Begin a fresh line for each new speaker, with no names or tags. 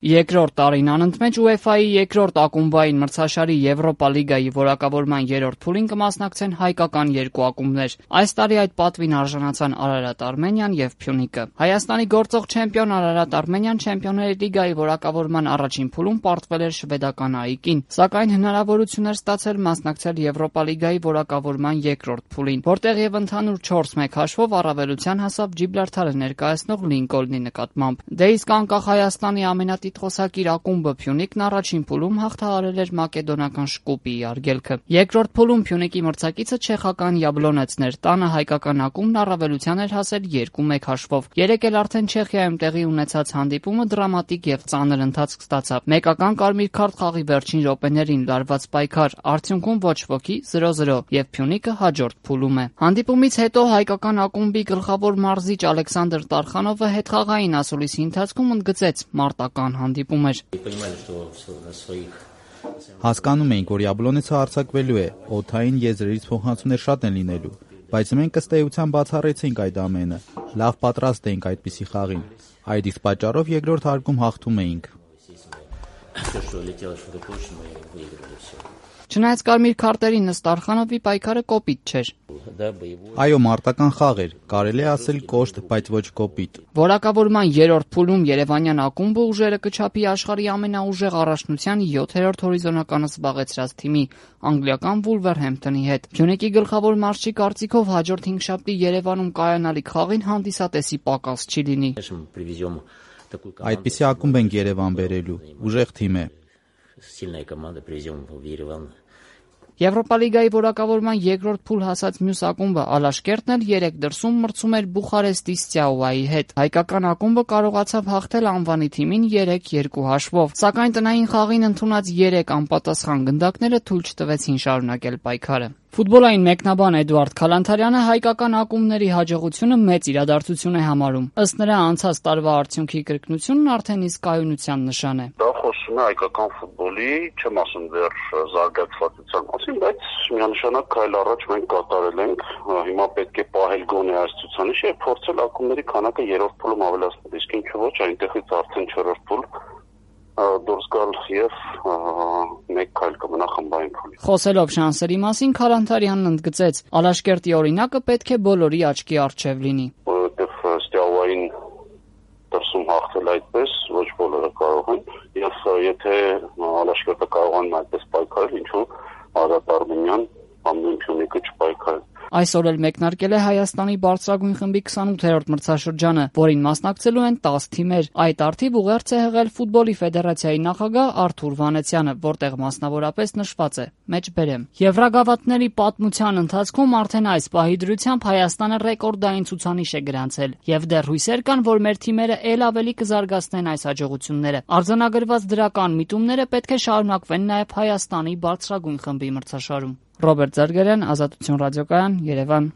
Երկրորդ տարին անընդմեջ UEFA-ի երկրորդ ակումբային մրցաշարի Եվրոպա լիգայի որակավորման երրորդ փուլին կմասնակցեն հայկական երկու ակումբներ։ Այս տարի այդ պատվին արժանացան Արարատ Արմենիան եւ Փյունիկը։ Հայաստանի գործող չեմպիոն Արարատ Արմենիան Չեմպիոնների լիգայի որակավորման առաջին փուլում պարտվել էր շվեդական ԱԻԿ-ին, սակայն հնարավորություն էր ստացել մասնակցել Եվրոպա լիգայի որակավորման երկրորդ փուլին, որտեղ եւ ընդհանուր 4-1 հաշվով առավելության հասավ Ջիբրալթարը ներկայացնող Լինկոլնի նկատմամբ։ Դե իսկ անկախ Հայաստանի ամենատիտղոսակիր ակումբը Փյունիկն առաջին փուլում հաղթահարել էր մակեդոնական Շկուպիի արգելքը։ Երկրորդ փուլում Փյունիկի մրցակիցը չեխական Յաբլոնեցն էր, տանը հայկական ակումբն առավելության էր հասել 2-1 հաշվով։ Երեկ էլ արդեն Չեխիայում տեղի ունեցած հանդիպումը դրամատիկ եւ ծանր ընթացք ստացավ։ Մեկական կարմիր քարտ խաղի վերջին րոպեներին լարված պայքար, արդյունքում ոչ ոքի 0-0 եւ Փյունիկը հաջորդ փուլում է։ Հանդիպումից հետո հայկական ակումբի գլխավոր մարզիչ Ալեքսանդր Տարխանովը հետխաղային ասուլիսի ընթացքում ընդգծեց՝ մարտական հանդիպում էր։
Հասկանում էինք, որ Յաբլոնեցը արձակվելու է, օդային եզրերից փոխանցումներ շատ են լինելու, բայց մենք ըստ էության բացառեցինք այդ ամենը։ Լավ պատրաստ էինք այդպիսի խաղին։ Այդ իսկ պատճառով երկրորդ հարկում հաղթում էինք։
Չնայած կարմիր քարտերին ըստ Արխանովի պայքարը կոպիտ չէր։
Այո, մարտական խաղ էր, կարելի է ասել կոշտ, բայց ոչ կոպիտ։
Որակավորման երրորդ փուլում երևանյան ակումբը ուժերը կչափի աշխարհի ամենաուժեղ առաջնության 7-րդ հորիզոնականը զբաղեցրած թիմի անգլիական Վուլվերհեմփթոնի հետ։ Փյունիկի գլխավոր մարզչի կարծիքով հաջորդ հինգշաբթի Երևանում կայանալիք խաղին հանդիսատեսի պակաս չի լինի։
Այդպիսի ակումբ ենք Երևան բերելու, ուժեղ թիմ է։
Եվրոպա լիգայի որակավորման երկրորդ փուլ հասած մյուս ակումբը Ալաշկերտն էլ երեք դրսում մրցում էր Բուխարեստի Ստեաուայի հետ։ Հայկական ակումբը կարողացավ հաղթել անվանի թիմին 3-2 հաշվով, սակայն տնային խաղին ընդունած 3 անպատասխան գնդակները թույլ չտվեցին շարունակել պայքարը։ Ֆուտբոլային մեկնաբան Էդուարդ Քալանթարյանը հայկական ակումբների հաջողությունը մեծ իրադարձություն է համարում։ Ըստ նրա անցած տարվա արդյունքի կրկնությունն արդեն իսկ կայունության նշան է։
Դա խոսում է հայկական ֆուտբոլի, չեմ ասում դեռ զարգացվածության մասին, բայց միանշանակ քայլ առաջ մենք կատարել ենք։ Հիմա պետք է պահել գոնե այս ցուցանիշը եւ փորձել ակումբների քանակը երրորդ փուլում ավելացնել։ Իսկ ինչու ոչ, այնտեղից արդեն չորրորդ փուլ դուրս գալ եւ մեկ քայլ կմնա խմբային փուլի։
Խոսելով շանսերի մասին Քալանթարյանն ընդգծեց. Ալաշկերտի օրինակը պետք է բոլորի աչքի առջև լինի։
Որովհետեւ Ստեաուային դրսում հաղթել այդպես ոչ բոլորը կարող են, եւ եթե Ալաշկերտը կարողանում այդպես պայքարել, ինչու Արարատ Արմենիան ամեն Փյունիկը չպայքարել։
Այսօր էլ մեկնարկել է Հայաստանի բարձրագույն խմբի 28-րդ մրցաշրջանը, որին մասնակցելու են 10 թիմեր։ Այդ առթիվ ուղերձ է հղել Ֆուտբոլի ֆեդերացիայի նախագահ Արթուր Վանեցյանը, որտեղ մասնավորապես նշված է. մեջբերեմ։ Եվրագավաթների պատմության ընթացքում արդեն այս պահի դրությամբ Հայաստանը ռեկորդային ցուցանիշ է գրանցել, եւ դեռ հույսեր կան, որ մեր թիմերը ել ավելի կզարգացնեն այս հաջողությունները։ Արձանագրված դրական միտումները պետք է շարունակվեն նաեւ Հայաստանի բարձրագույն խմբի մրցաշարում։ Ռոբերտ Զարգարյան, Ազատություն ռադիոկայան, Երևան։